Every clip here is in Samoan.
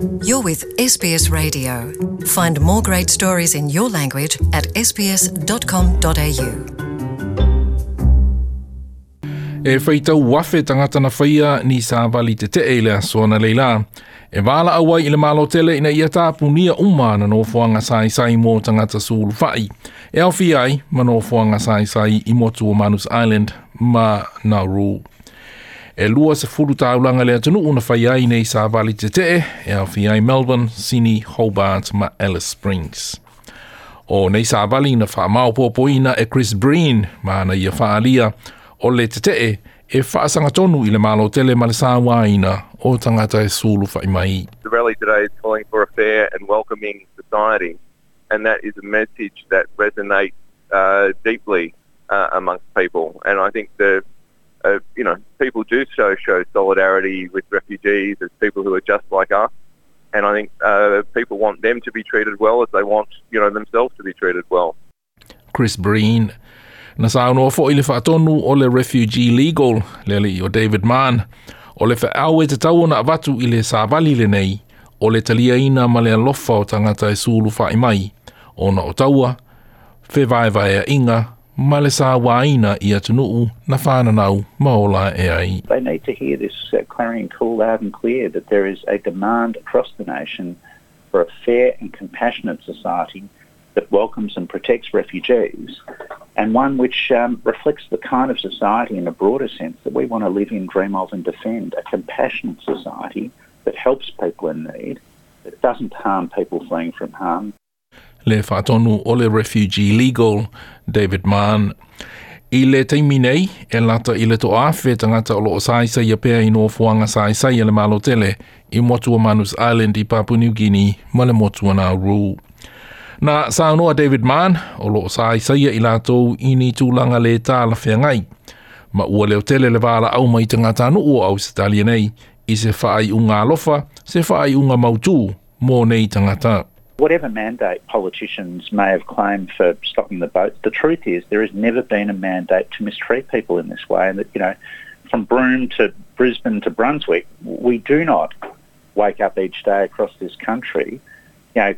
You're with SBS Radio. Find more great stories in your language at sbs.com.au. E faitau afe tagata na faia ni savali tetee i le aso analeila. E valaau ai i le Malo tele ina ia tapunia uma ana nofoaga saisai mo tagata sulufai. E aofia ai ma nofoaga saisai i motu o Manus Island ma Nauru. E 20 taulaga le atunuu na faia ai nei savali tetee, e aofia ai Melbourne, Sydney, Hobart ma Alice Springs. O nei savali na faamaopoopoina e Chris Breen ma ana ia faaalia o le tetee e faasagatonu i le Malo tele ma le sauaina o tagata e sulufai mai. The rally today is calling for a fair and welcoming society, and that is a message that resonates deeply amongst people. And I think the you know people do show solidarity with refugees as people who are just like us, and I think people want them to be treated well as they want themselves to be treated well. Chris Breen. Na saunoa foi le faatonu o le Refugee Legal, le alii o David Mann, o le feau e tatau ona avatu i le savali lenei, o le taliaina ma le alofa o tagata e sulufai mai, ona o taua, fevaevaeaiga ma le sauaina i atunuu na fananau ma ola ae ai. They need to hear this clarion call loud and clear that there is a demand across the nation for a fair and compassionate society that welcomes and protects refugees, and one which reflects the kind of society in a broader sense that we want to live in, dream of and defend, a compassionate society that helps people in need, that doesn't harm people fleeing from harm. Le faatonu o le Refugee Legal, David Mann. I le taimi nei, e lata i le 1,000 tagata o loo saisaia pea i nofoaga saisai a le Malo tele i motu o Manus Island i Papua New Guinea ma le motu o Nauru. Na saunoa David Mann, o loo saisaia i latou i ni tulaga le talafeagai. Ma ua leotele le valaau mai tagatanuu o Ausetalia nei i se faaiuga alofa, se faaiuga mautū mo nei tagata. Whatever mandate politicians may have claimed for stopping the boats, the truth is there has never been a mandate to mistreat people in this way. And that, from Broome to Brisbane to Brunswick, we do not wake up each day across this country,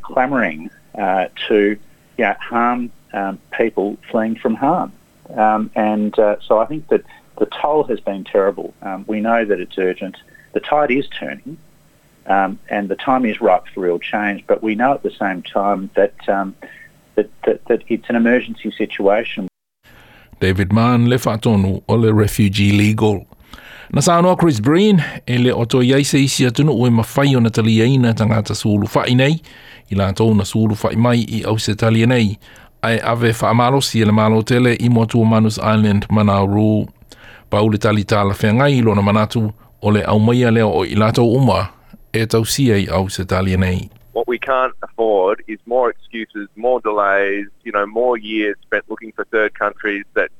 clamouring to harm people fleeing from harm. And so I think that the toll has been terrible. We know that it's urgent. The tide is turning. And the time is ripe for real change, but we know at the same time that it's an emergency situation. David Mann, le faatonu o le Refugee Legal. Na saunoa Chris Breen e le o toe i ai se isi atunuu e mafai ona taliaina tagata sulufai nei, i latou na sulufai mai i Ausetalia nei, ae ave faamalosi e le Malo tele i motu o Manus Island ma Nauru. Pau le tali talafeagai i lona manatu o le aumaia lea o i latou uma e tausia i Ausetalia nei. What we can't afford is more excuses, more delays, more years spent looking for third countries that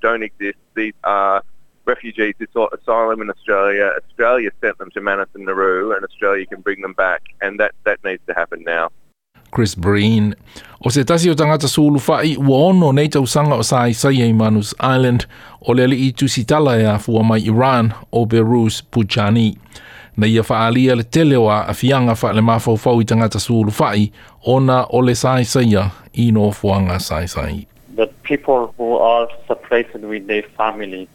don't exist. These are refugees who sought asylum in Australia. Australia sent them to Manus and Nauru, and Australia can bring them back, and that needs to happen now. Chris Breen. O se tasi o tagata sulufai ua 6 nei tausaga o saisaia i Manus Island o le alii tusitala e afua mai Iran o Behrouz Boochani. Na ia faaalia le tele o aafiaga faalemafaufau i tagata sulufai ona o le saisaia i nofoaga saisai. The people who are separated with their family,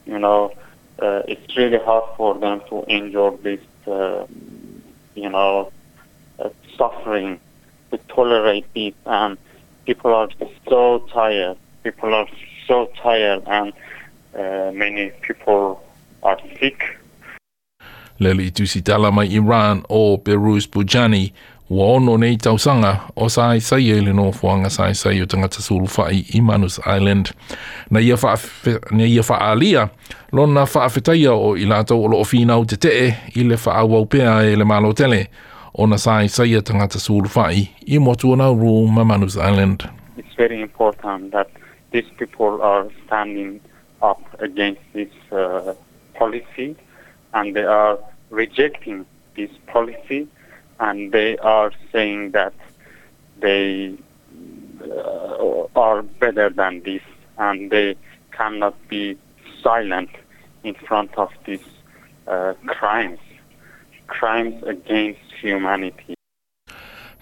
it's really hard for them to endure this suffering, to tolerate this, and people are so tired. People are so tired, and many people are sick. Le alii tusitala mai Iran o Behrouz Boochani ua 6 nei tausaga o saisaia i le nofoaga saisai o tagata sulufai i Manus Island. Na ia faaalia lona faafetaia o i latou o loo finau tetee i le faaauau pea e le Malo tele ona saisaia tagata sulufai i motu o Nauru ma Manus Island. It's very important that these people are standing up against this policy and they are rejecting this policy and they are saying that they are better than this and they cannot be silent in front of these crimes. crimes against humanity.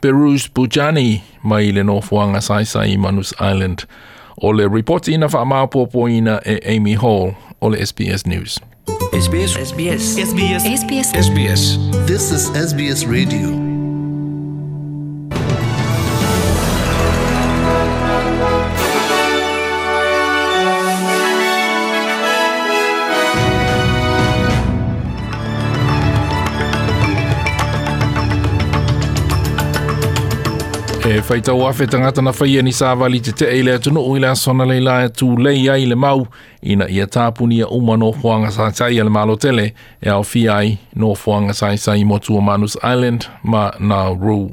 Behrouz Boochani mai le nofoaga saisai Manus Island. O le ripoti na faamaopoopoina e Amy Hall o le SBS News. SBS SBS SBS SBS SBS This is SBS Radio. E faitau afe tagata na faia ni savali tetee i le atunuu i le aso analeila e tulei ai le mau ina ia tapunia uma nofoaga saisai a le Malo tele e aofia ai nofoaga saisai motu o Manus Island ma Nauru.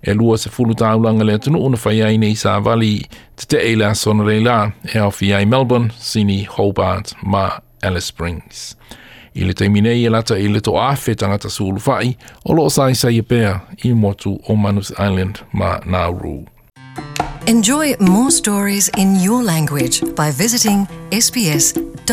E 20 taulaga le atunuu na faia ai nei savali tetee i le aso analeila e aofia ai Melbourne, Sydney, Hobart ma Alice Springs. I le taimi nei e lata i le 1,000 tagata sulufai o loo saisai pea i motu o Manus Island ma Nauru. Enjoy more stories in your language by visiting sbs.com.au.